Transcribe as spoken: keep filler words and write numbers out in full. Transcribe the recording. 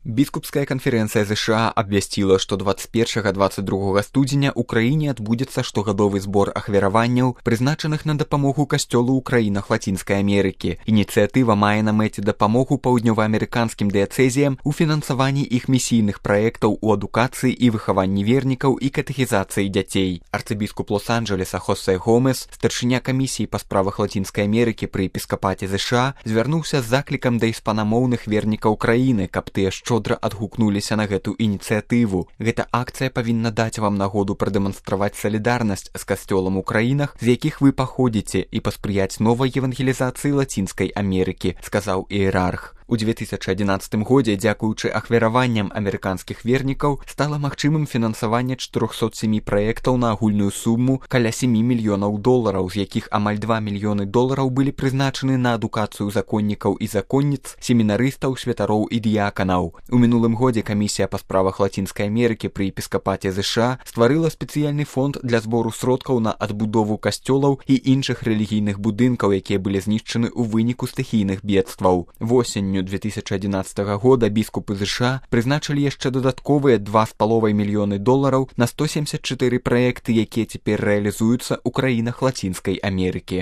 Біскупская канферэнцыя ЗША абвясціла, што дваццаць першага - дваццаць другога студзеня ў краіне адбудзецца штогадовы збор ахвяраванняў, прызначаных на дапамогу касцёлу ў краінах Лацінскай Амерыкі. Ініцыятыва мае на мэце дапамогу паўднёваамерыканскім дыяцэзіям у фінансаванні іх місійных праектаў у адукацыі і выхаванні вернікаў і катэхізацыі дзяцей. Арцыбіскуп Лос-Анджелеса Хосе Гомес, старшыня камісіі па справах Лацінскай Амерыкі пры эпіскапаце ЗША, звярнуўся з заклікам да іспанамоўных вернікаў краіны, каб тыя шчодра адгукнуліся на гэту ініцыятыву. Гэта акцыя павінна даць вам нагоду прадэманстраваць салідарнасць з касцёлам у краінах, з якіх вы паходзіце, і паспрыяць новай евангелізацыі Лацінскай Амерыкі, сказаў іерарх. У дзве тысячы адзінаццатым годзе, дзякуючы ахвяраванням амерыканскіх вернікаў, стала магчымым фінансаванне чатырохсот сямі праектаў на агульную суму каля сямі мільёнаў долараў, з якіх амаль два мільёны долараў былі прызначаны на адукацыю законнікаў і законніц, семінарыстаў, святароў і дыяканаў. У мінулым годзе камісія па справах Лацінскай Амерыкі пры эпіскапаце ЗША стварыла спецыяльны фонд для збору сродкаў на адбудову касцёлаў і іншых рэлігійных будынкаў, якія былі знішчаны ў выніку стыхійных бедстваў. Восенню дзве тысячы адзінаццатага года біскупы ЗША прызначылі яшчэ дадатковыя два з паловай мільёны долараў на сто семьдесят чатыры праекты, якія цяпер рэалізуюцца ў краінах Лацінскай Амерыкі.